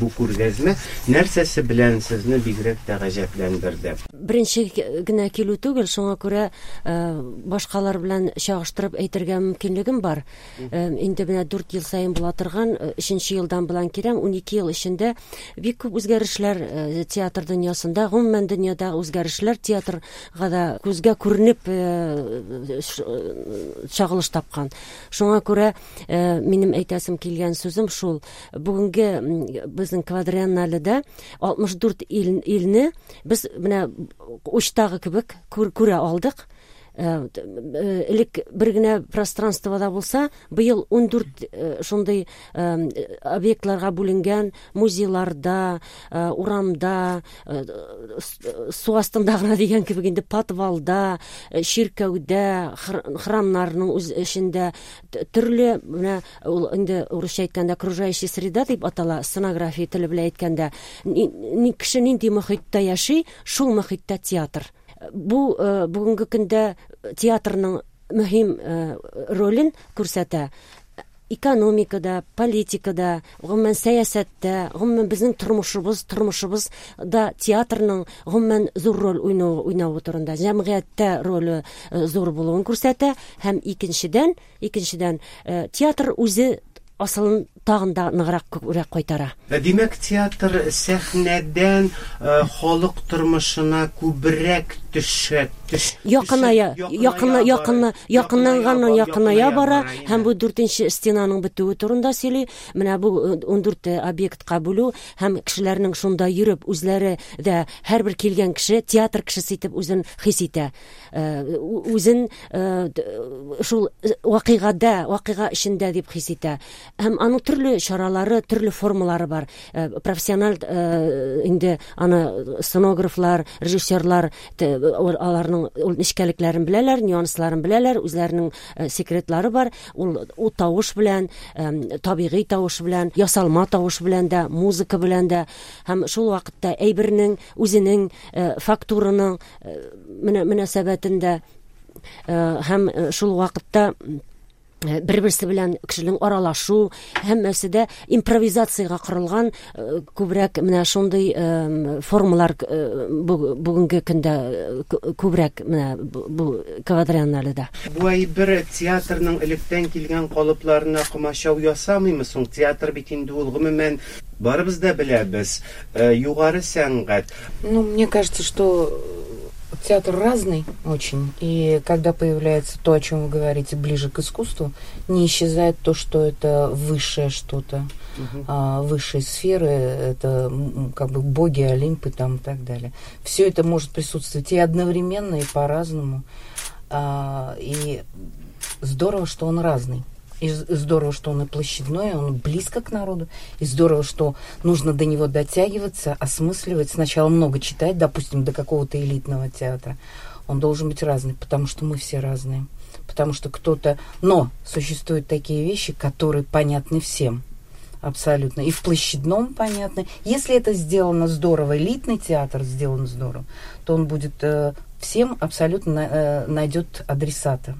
Бу күргәзмә нәрсәсе белән сезне бигрәк тә гаҗәпләндерде? Беренче генә килү түгел, шуңа күрә башкалар белән чагыштырып әйтергә мөмкинлегем бар. Инде менә 4 ел саен була торган, өченче елдан белән киләм, 12 ел эчендә бик күп үзгәрешләр театр дөньясында, гомумән дөньяда үзгәрешләр театрга да күзгә күренеп чагылыш тапкан. Шуңа күрә минем әйтәсем килгән сүзем шул. Бүгенге безнең квадриенналеда 64 илне без менә учтагы кебек күрә алдык. Элек бер генә пространствода булса, быел 14 шундый объектларга бүленгән музейларда, урамда, су астында гына дигән кебек инде подвалда, чиркәүдә, храмнарның үз эчендә төрле менә ул инде урысча әйткәндә окружающая среда дип атала, сценография теле белән әйткәндә, кеше нинди мохиттә яши, шул мохиттә театр. Бу бүгенге көндә театрның мөһим ролен күрсәтә. Экономикада, политикада, гомумән сәясәттә, гомумән безнең тормышыбыз, тормышыбыз да театрның гомумән зур роль уйнавы, уйнавы турында, җәмгыятьтә роле зур булуын күрсәтә һәм икенчедән, икенчедән, театр үзе асылын тагын да ныграк күбрәк кайтара. Димәк, театр сәхнәдән халык тормышына күбрәк төшә, төш, Якыная, якына, якына, якынланганнан якыная бара һәм бу дүртенче стенаның бетүе турында сөйли. Менә бу 14 объектка бүлү һәм кешеләрнең шунда йөреп, үзләре дә һәрбер килгән кеше театр кешесе итеп үзен хис итә. Үзен шул вакыйгада, вакыйга эчендә дип хис итә. Һәм аның төрле чаралары, төрле формалары бар. Профессиональ инде аны сценографлар, режиссерлар аларның ул нечкәлекләрен беләләр, нюансларын беләләр, үзләренең секретлары бар. Ул, ул тавыш белән, табигый тавыш белән, ясалма тавыш белән дә, музыка белән дә һәм шул вакытта әйбернең үзенең фактураның мөнәсәбәтендә һәм шул вакытта бер-берсе белән кешенең аралашу һәммәсе дә импровизациягә корылган күбрәк менә шундый формалар бүгенге көндә күбрәк менә бу квадриенналеда. Бу әйбер театрның электән килгән калыпларына комачау ясамыймы соң? Театр бит инде ул гомумән барыбыз да беләбез, югары сәнгать. Ну, мне кажется, что театр разный очень, и когда появляется то, о чем вы говорите, ближе к искусству, не исчезает то, что это высшее что-то, высшие сферы, это как бы боги, Олимпы там и так далее. Все это может присутствовать и одновременно, и по-разному. И здорово, что он разный. И здорово, что он и площадной, он близко к народу. И здорово, что нужно до него дотягиваться, осмысливать. Сначала много читать, допустим, до какого-то элитного театра. Он должен быть разный, потому что мы все разные. Потому что кто-то... Но существуют такие вещи, которые понятны всем. Абсолютно. И в площадном понятно. Если это сделано здорово, элитный театр сделан здорово, то он будет всем абсолютно найдет адресата.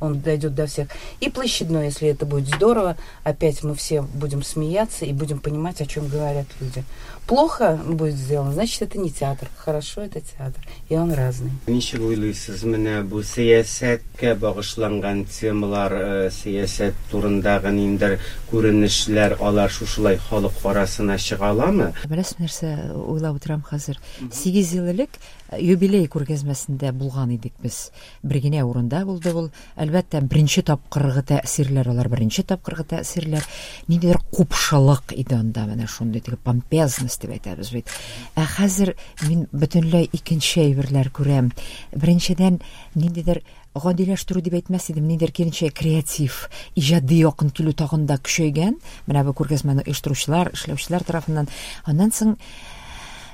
Он дойдет до всех. И площадной, если это будет здорово, опять мы все будем смеяться и будем понимать, о чем говорят люди. Плохо будет сделано, значит, это не театр. Хорошо, это театр. И он разный. Ничек уйлыйсыз, менә бу сәясәткә багышланган темалар, сәясәт турындагы ниндидер күренешләр, алар шушылай халык арасына чыга аламы? Беләсез, нәрсә уйлап утырам хәзер. 8 ел элек юбилей күргәзмәсендә булган идек без. Бер генә урында булды ул. Әлбәттә, беренче тапкыргы тәэсирләр, алар беренче тапкыргы тәэсирләр. Ниндидер купшылык иде анда, менә шундый теге помпезность дип әйтәбез бит. Ә хәзер мин бөтенләй икенче әйберләр күрәм. Беренчедән, ниндидер гадиләштерү дип әйтмәс идем, ниндидер киренчә креатив, иҗади якын килү тагын да көчәйгән. Менә бу күргәзмәне оештыручылар, эшләүчеләр тарафыннан. Аннан соң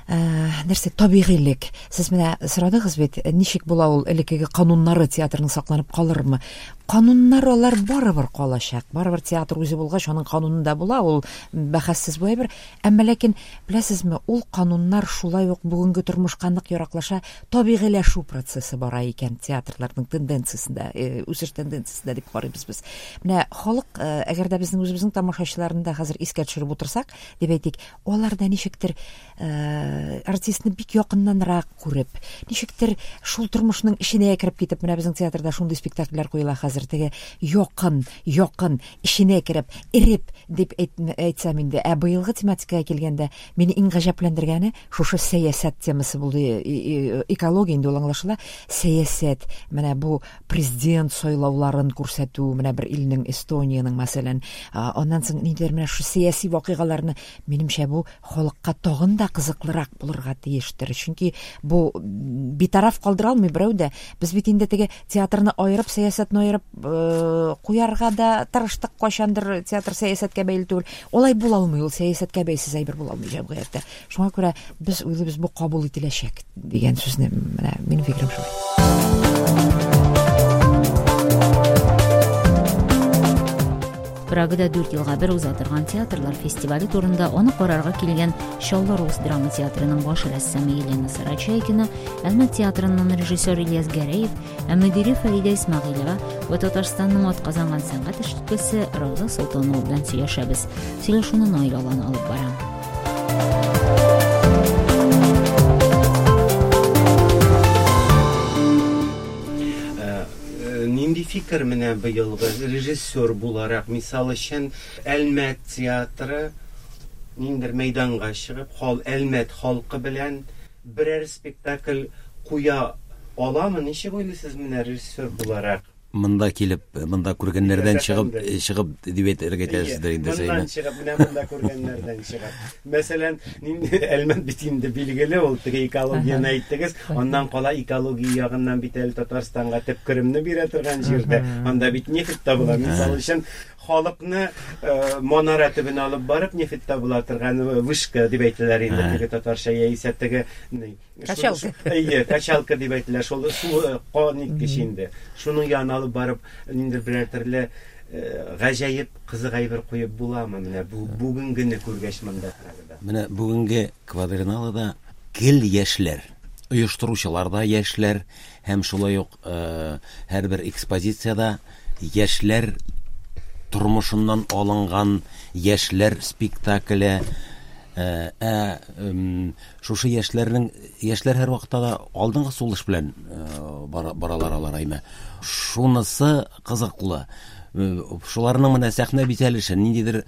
Нәрсә, табигыйлек. Сез менә сорадыгыз бит, ничек була ул элеккеге кануннары театрның сакланып калырмы? Кануннар алар барыбер калачак. Барыбер театр үзе булгач, аның кануны да була, ул бәхәссез бу әйбер. Әмма ләкин, беләсезме, ул кануннар шулай ук бүгенге тормышка нык яраклаша, табигыйләшү процессы бара икән театрларның тенденциясендә, үсеш тенденциясендә дип карыйбыз без. Менә халык, әгәр дә безнең үзебезнең тамашачыларны да хәзер искә төшереп утырсак, дип әйтик, алар да ничектер артистны бик якыннанрак күреп, ничектер шул тормышның эченә кереп китеп, менә безнең театрда шундый спектакльләр куела хәзер, теге якын, якын, эченә кереп, эреп дип әйтсәм инде. Ә быелгы тематикага килгәндә, мине иң гаҗәпләндергәне шушы сәясәт темасы булды. Экология инде ул аңлашыла. Сәясәт, менә бу президент сайлауларын күрсәтү, менә бер илнең, Эстониянең, мәсәлән, аннан соң ниндидер менә шушы сәяси вакыйгаларны, минемчә, бу халыкка тагын да кызыклырак булырга тиештер. Чөнки бу битараф калдыра алмый берәү дә. Без бит инде теге театрны аерып, сәясәтне аерып куярга да тырыштык кайчандыр, театр сәясәткә бәйле түгел. Алай була алмый, ул сәясәткә бәйсез әйбер була алмый җәмгыятьтә. Шуңа күрә без уйлыйбыз, бу кабул ителәчәк дигән сүзне, менә минем фикерем шулай. Прагада 4 елга бер уза торган театрлар фестивале турында аны карарга килгән Чаллы рус драма театрының баш рәссамы Елена Сарачайкина, Әлмәт театрыннан режиссер Ильяс Гәрәев, ә мөдире Фәридә Исмәгыйлева вә Татарстанның атказанган сәнгать эшлеклесе Рауза Солтанова белән сөйләшәбез. Сөйләшүне Наил Алан алып бара. Нинди фикер менә быелгы режиссер буларак, мисал өчен, Әлмәт театры ниндер мәйданга чыгып, хал Әлмәт халкы белән берәр спектакль куя аламы? Ничек уйлыйсыз менә режиссер буларак? Монда килеп, монда күргәннәрдән чыгып, чыгып дип әйтергә әйтәсездер инде син. Моннан чыгып, менә монда күргәннәрдән чыгып. Мәсәлән, нинди Әлмәт бит инде билгеле, ул теге экологияне әйттегез. Аннан кала экология ягыннан бит әле Татарстанга төп керемне бирә торган җирдә. Анда бит нефть табыла. Мисал өчен, халыкны манара төбенә алып барып, нефть табыла торган вышка дип әйтәләр инде теге татарча, яисә теге качалка. Әйе, качалка дип әйтелә. Шул су кан иткеч инде. Шуның янына алып барып, ниндидер берәр төрле гаҗәеп кызык әйбер куеп буламы менә бу бүгенгене күргәч монда Прагада? Менә бүгенге квадриналада гел яшьләр, оештыручылар да яшьләр һәм шулай ук һәрбер экспозициядә яшьләр тормышыннан алынган яшьләр спектакле. Ә шушы яшьләрнең, яшьләр һәрвакытта да алдынгы сулыш белән баралар алар, әйме. Шунысы кызыклы. Шуларның менә сәхнә бизәлеше, ниндидер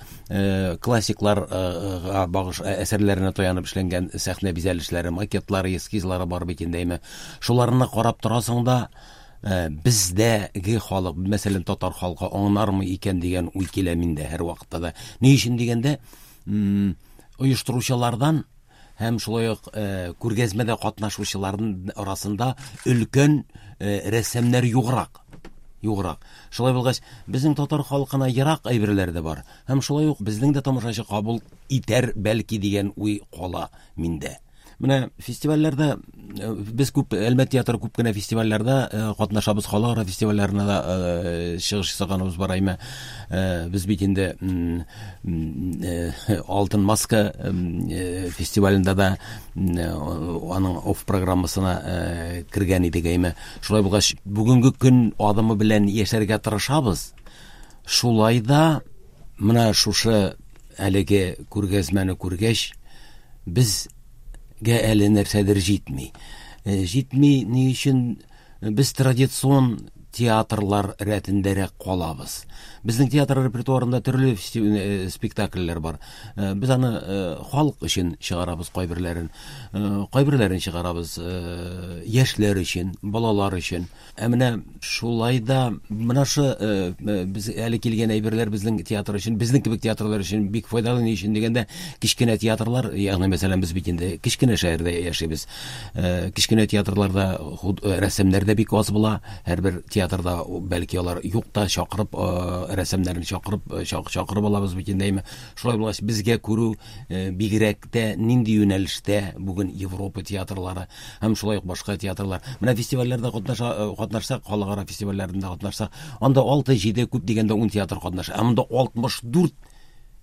классикларга багыш әсәрләренә таянып эшләнгән сәхнә бизәлешләре, макетлары, эскизлары бар бит инде, әйме. Шуларны карап торасың да, бездәге халык, мәсәлән, татар халкы аңлармы икән дигән уй килә миндә һәрвакытта да. Ни өчен дигәндә, оештыручылардан һәм шулай ук күргәзмәдә катнашучыларның арасында өлкән рәссамнар юграк. Юграк. Шулай булгач, безнең татар халкына ерак әйберләр дә бар. Һәм шулай ук безнең дә тамашачы кабул итәр бәлки дигән уй кала миндә. Менә фестивальләрдә без күп, Әлмәт театры күп кенә фестивальләрдә катнашабыз, халыкара фестивальләренә дә чыгыш ясаганыбыз бар, әйме. Без бит инде Алтын маска фестивалендә дә аның оф программасына кергән идек, әйме. Шулай булгач, бүгенге көн адымы белән яшәргә тырышабыз. Шулай да менә шушы әлеге күргәзмәне күргәч, безгә әле нәрсәдер җитми. Җитми ни өчен? Без традицион театрлар рәтендәрәк калабыз. Безнең театр репертуарында төрле спектакльләр бар. Без аны халык өчен чыгарабыз кайберләрен. Кайберләрен чыгарабыз яшьләр өчен, балалар өчен. Ә менә шулай да менә шу без әле килгән әйберләр безнең театр өчен, безнең кебек театрлар өчен бик файдалы. Ни өчен дигәндә, кечкенә театрлар, ягъни мәсәлән, без бит инде кечкенә шәһәрдә яшибез. Кечкенә театрларда рәссамнар да бик аз була. Һәрбер театрда бәлки алар юк та, чакырып, рәссамнарны чакырып, чакырып алабыз бит инде, әйме. Шулай булгач, безгә күрү бигрәк тә нинди юнәлештә бүген Европа театрлары һәм шулай ук башка театрлар. Менә фестивальләрдә катнаша, катнашсак, халыкара фестивальләрендә катнашсак, анда 6-7, күп дигәндә 10 театр катнаша. Ә монда 64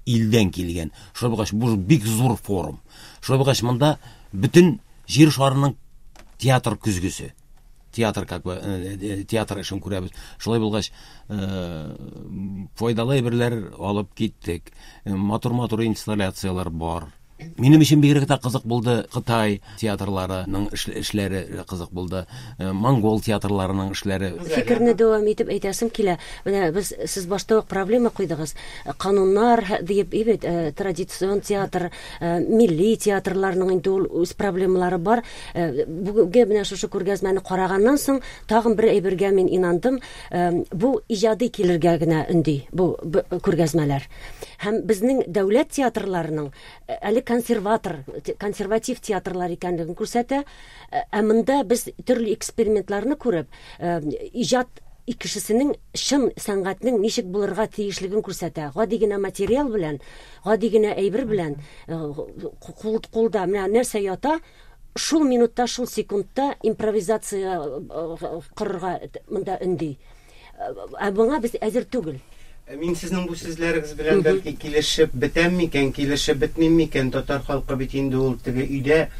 илдән килгән. Шулай булгач, бу бик зур форум. Шулай булгач, монда бөтен җир шарының театр көзгесе. Театр, как бы, театр эшен күрәбез. Шулай булгач, файдалы әйберләр алып киттек. Матур-матур инсталляцияләр бар. Минем өчен бигрәк тә кызык булды Кытай театрларының эшләре кызык булды, монгол театрларының эшләре. Фикерне дәвам итеп әйтәсем килә. Менә без сез башта ук проблема куйдыгыз. Кануннар диеп, бит, традицион театр, милли театрларның инде ул үз проблемалары бар. Бүгенге менә шушы күргәзмәне караганнан соң тагын бер әйбергә мин инандым. Бу иҗади килергә генә өнди бу күргәзмәләр. Һәм безнең дәүләт театрларының әле консерватор, консерватив театрлар икәнлеген күрсәтә. Ә монда без төрле экспериментларны күреп, иҗат кешесенең чын сәнгатьнең ничек булырга тиешлеген күрсәтә. Гади генә материал белән, гади генә әйбер белән кулда менә нәрсә ята, шул минутта, шул секундта импровизация корырга монда өнди. Ә моңа без әзер түгел. Мин сезнең бу сүзләрегез белән бәлки килешеп бетәм микән, килешеп бетмим микән? Татар халкы бит инде ул теге өйдә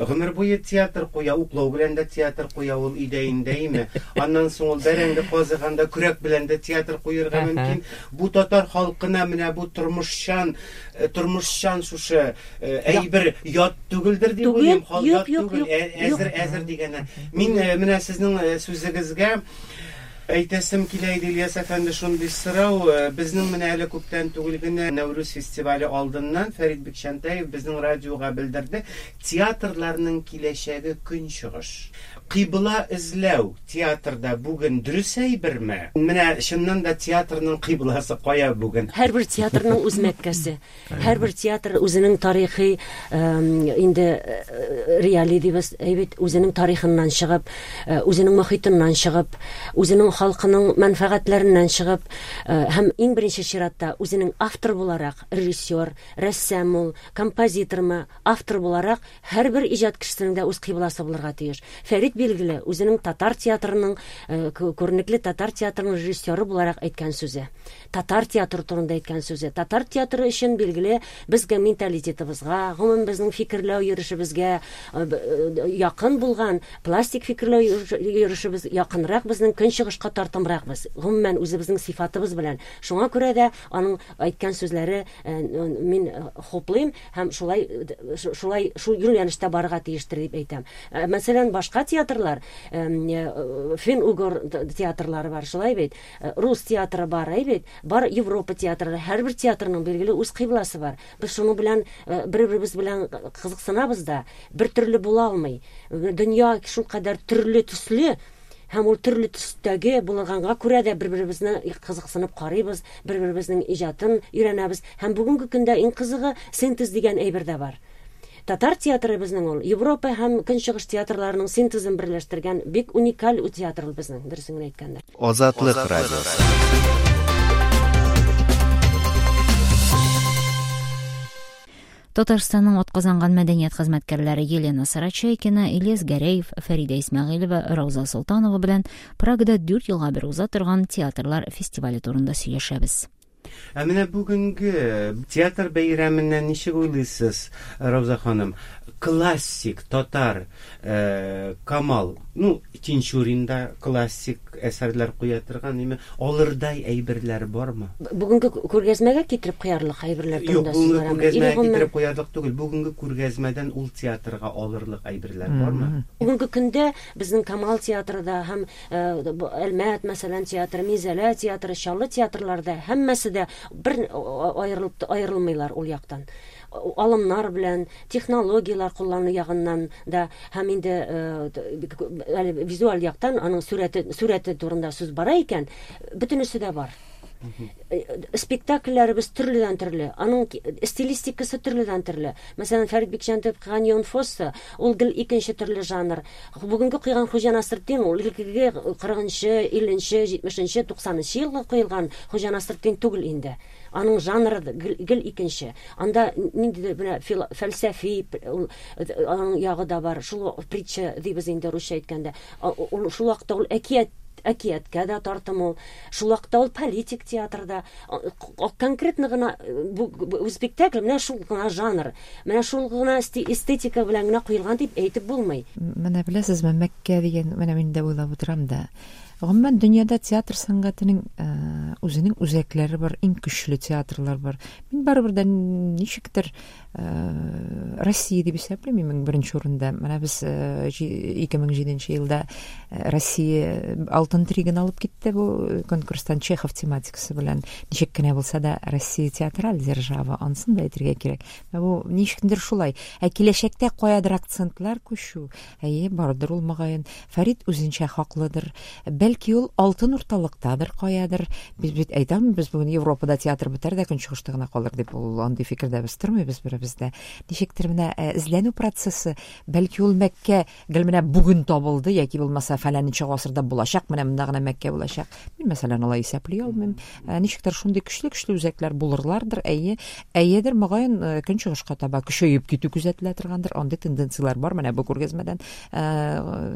гомер буе театр куя, уклау белән дә театр куя ул өйдә инде, әйме? Аннан соң ул бәрәңге казыганда көрәк белән дә театр куерга мөмкин. Бу татар халкына менә бу тормышчан, тормышчан шушы әйбер ят түгелдер дип уйлыйм. Ят түгел, әзер, әзер дигәннән. Мин менә сезнең сүзегезгә әйтәсем килә иде, Ильяс әфәнде, шундый сорау. Безнең менә әле күптән түгел генә Нәүрүз фестивале алдыннан Фәрит Бикчәнтәев безнең радиога белдерде, театрларның киләчәге көнчыгыш. Кыйбла эзләү театрда бүген дөрес әйберме? Менә чыннан да театрның кыйбласы кая бүген? Һәрбер театрның үз мәккәсе. Һәрбер театр үзенең тарихи инде реалий дибез, әйбит, үзенең тарихыннан чыгып, үзенең мохитыннан чыгып, үзенең халкының мәнфәгатьләреннән чыгып, һәм иң беренче чиратта үзенең автор буларак, режиссер, рәссам ул, композитормы, автор буларак һәрбер иҗат кешесенең дә үз кыйбласы булырга тиеш. Фәрит, билгеле, үзенең татар театрының, күренекле татар театрының режиссеры буларак әйткән сүзе. Татар театры турында әйткән сүзе. Татар театры өчен, билгеле, безгә менталитетыбызга, гомумән безнең фикерләү йөрешебезгә якын булган пластик фикерләү йөрешебез якынрак безнең көнчыгышка тартымрак без. Гомумән үзебезнең сыйфатыбыз белән. Шуңа күрә дә аның әйткән сүзләре мин хуплыйм һәм шулай шулай шул юнәлештә барырга тиештер дип әйтәм. Мәсәлән, башка театрлар, фин-угор театрлары бар, шулай бит. Рус театры бар, әй бит, бар Европа театры, һәрбер театрның билгеле үз кыйбласы бар. Без шуның белән бер-беребез белән кызыксынабыз да, бер төрле була алмый. Дөнья шулкадәр төрле төсле, һәм ул төрле төстәге булганга күрә дә бер-беребезне кызыксынып карыйбыз, бер-беребезнең иҗатын өйрәнәбез. Һәм бүгенге көндә иң кызыгы синтез дигән әйбер дә бар. Татар театры безнең ул Европа һәм Көнчыгыш театрларының синтезын берләштергән бик уникаль театр ул безнең, дөресен генә әйткәндә. Азатлык радиосы. Татарстанның атказанган мәдәният хезмәткәрләре Елена Сарачайкина, Ильяс Гәрәев, Фәридә Исмәгыйлева, Рауза Солтанова белән Прагада 4 елга бер уза торган театрлар фестивале турында сөйләшәбез. Ә менә бүгенге театр бәйрәменнән ничек уйлыйсыз, Рауза ханым? Классик татар Камал, ну, Тинчурин да классик әсәрләр куя торган, име, алырдай әйберләр бармы? Бүгенге күргәзмәгә китереп куярлык әйберләр турында сүз барамы? Юк, бүгенге күргәзмәгә китереп куярлык түгел. Бүгенге күргәзмәдән ул театрга алырлык әйберләр бармы? Бүгенге көндә безнең Камал театры да һәм Әлмәт, мәсәлән, театры, Минзәлә театры, Чаллы театрлары да һәммәсе дә бер аерылып аерылмыйлар ул яктан. Алымнар белән, технологияләр куллану ягыннан да һәм инде әле визуаль яктан аның сурәте, сурәте турында сүз бара икән, бөтенесе дә бар. Спектакльләребез төрледән төрле, аның стилистикасы төрледән төрле. Мәсәлән, Фәрит Бикчәнтаев куйган Йон Фоссе, ул гел икенче төрле жанр. Бүгенге куйган Хуҗа Насретдин, ул элеккеге 40-нчы, 50-нче, 70-нче, 90-нчы елгы куелган Хуҗа Насретдин түгел инде. Аның жанры гел икенче. Анда ниндидер менә фәлсәфи аның ягы да бар. Шул притча дибез инде русча әйткәндә. Ул шул вакытта ул әкият әкияткә дә тартым ул. Шул вакытта ул политик театрда. Конкретно гына бу спектакль менә шул гына жанр, менә шул гына эстетика белән генә куелган дип әйтеп булмый. Менә беләсезме, Мәккә дигән, менә мин дә уйлап утырам да. Гомумән, дөньяда театр сәнгатенең үзенең үзәкләре бар, иң көчле театрлар бар. Мин барыбер дә ничектер Россия дип исәплим иң беренче урында. Менә без 2007 елда Россия алтын триген алып китте бу конкурстан Чехов тематикасы белән. Ничек кенә булса да Россия театраль держава, ансын да әйтергә кирәк. Бу ничектер шулай. Ә киләчәктә каядыр акцентлар күчү, әйе, бардыр ул мөгаен. Фәрит үзенчә хаклыдыр. Бәлки ул алтын урталыктадыр каядыр. Без бит әйтә алмыйбыз бүген Европада театр бетәр дә көнчыгышта гына калыр дип. Ул андый фикердә без тормыйбыз беребез дә. Ничектер менә эзләнү процессы, бәлки ул Мәккә гел менә бүген табылды яки булмаса фәләненче гасырда булачак, менә монда гына Мәккә булачак. Мин, мәсәлән, алай исәпли алмыйм. Ничектер шундый көчле-көчле үзәкләр булырлардыр, әйе. Әйедер, мөгаен, көнчыгышка таба көчәеп китү күзәтелә торгандыр. Андый тенденцияләр бар. Менә бу күргәзмәдән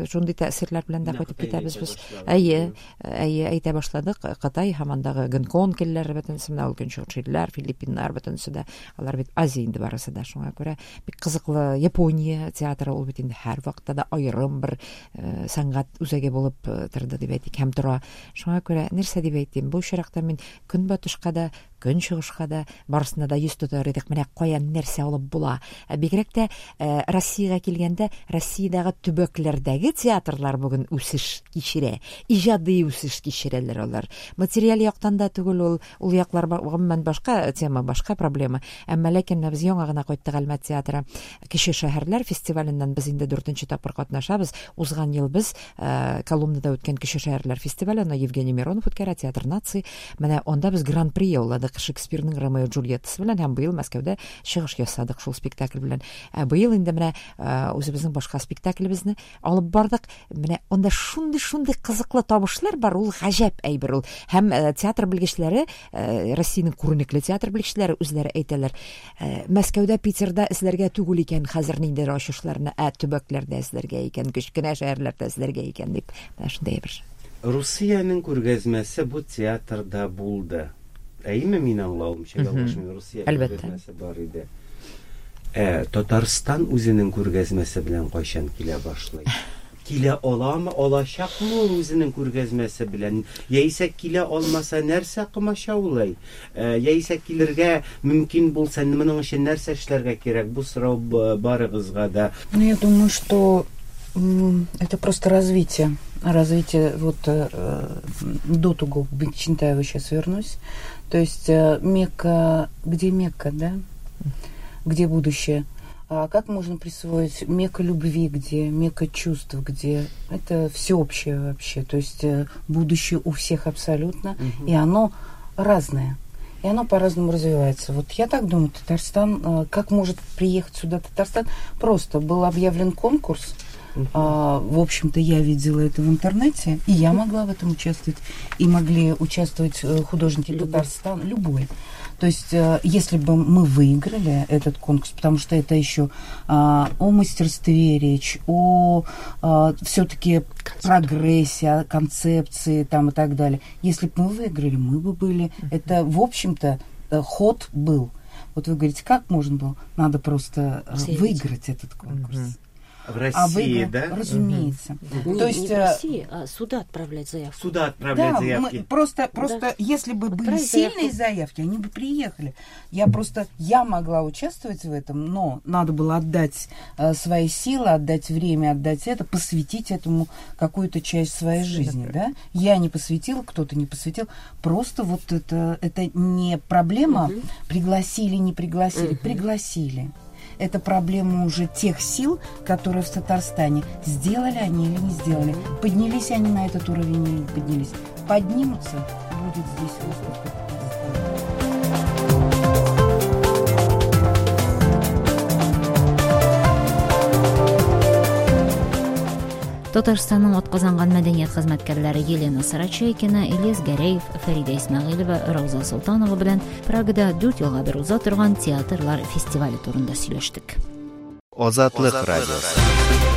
шундый тәэсирләр белән дә кайтып китәбез без. Әйе, әйе, әйтә башладык. Кытай һәм андагы Гонконг илләре бөтенесе, менә ул көнчыгыш илләр, Филиппиннар бөтенесе дә, алар бит Азия инде барысы да. Шуңа күрә бик кызыклы Япония театры, ул бит инде һәрвакытта да аерым бер сәнгать үзәге булып торды дип әйтик һәм тора. Шуңа күрә нәрсә дип әйтим, бу очракта мин көнбатышка да, көнчыгышка да, барысына да йөз тотар идек. Менә каян нәрсә алып була. Бигрәк тә Россиягә килгәндә, Россиядәге төбәкләрдәге театрлар бүген үсеш кичерә. Иҗади үсеш кичерәләр алар. Материаль яктан да түгел ул, ул яклар гомумән башка тема, башка проблема. Әмма ләкин менә без яңа гына кайттык Әлмәт театры Кече шәһәрләр фестиваленнән без инде дүртенче тапкыр катнашабыз. Узган ел без Коломнада үткән Кече шәһәрләр фестивале, аны Евгений Миронов үткәрә, Театр наций. Менә анда без гран-при яуладык Шекспирның Ромео Джульеттасы белән һәм быел Мәскәүдә чыгыш ясадык шул спектакль белән. Ә быел инде менә үзебезнең башка спектаклебезне алып бардык. Менә анда шундый-шундый кызыклы табышлар бар, ул гаҗәп әйбер ул. Һәм театр белгечләре, Россиянең күренекле театр белгечләре үзләре әйтәләр, Мәскәүдә, Питерда эзләргә түгел икән хәзер ниндидер ачышларны, ә төбәкләрдә эзләргә икән, кечкенә шәһәрләрдә эзләргә икән дип. Менә шундый әйбер. Русиянең күргәзмәсе бу театрда булды. Әйеме, мин аңлавымча, ялгышмыйм, Русия күргәзмәсе бар иде. Ә Татарстан үзенең күргәзмәсе белән кайчан килә башлый? Килә аламы, алачакмы ул үзенең күргәзмәсе белән? Яисә килә алмаса, нәрсә комачаулый? Яисә килергә мөмкин булса, моның өчен нәрсә эшләргә кирәк? Бу сорау барыгызга да. Ну, я думаю, что это просто развитие. Развитие, вот до того, к Бикчантаеву сейчас вернусь. То есть Мекка, где Мекка, да? Где будущее? А как можно присвоить Мекка любви, где Мекка чувств, где это всеобщее вообще, то есть будущее у всех абсолютно, и оно разное, и оно по-разному развивается. Вот я так думаю, Татарстан, как может приехать сюда Татарстан? Просто был объявлен конкурс, в общем-то, я видела это в интернете, и я могла в этом участвовать, и могли участвовать художники Татарстана, любой. То есть, если бы мы выиграли этот конкурс, потому что это еще о мастерстве речь, о все-таки прогрессе, о концепции там, и так далее. Если бы мы выиграли, мы бы были. Это, в общем-то, ход был. Вот вы говорите, как можно было? Надо просто выиграть этот конкурс. В России, да? Разумеется. Не, то есть, не в России, а сюда отправлять заявку. Сюда отправлять да, заявки. Мы просто да. Если бы были сильные заявки, они бы приехали. Я могла участвовать в этом, но надо было отдать свои силы, отдать время, отдать это, посвятить этому какую-то часть своей жизни. Да? Я не посвятила, кто-то не посвятил. Просто вот это не проблема. Пригласили, не пригласили. Пригласили. Это проблема уже тех сил, которые в Татарстане. Сделали они или не сделали. Поднялись они на этот уровень или не поднялись. Поднимутся, будет здесь выставка. Татарстанның атказанган мәдәният хезмәткәрләре Елена Сарачайкина, Ильяс Гәрәев, Фәридә Исмәгыйлева, Рауза Солтанова белән Прагада 4 елга бер уза торган театрлар фестивале турында сөйләштек. Азатлык радиосы.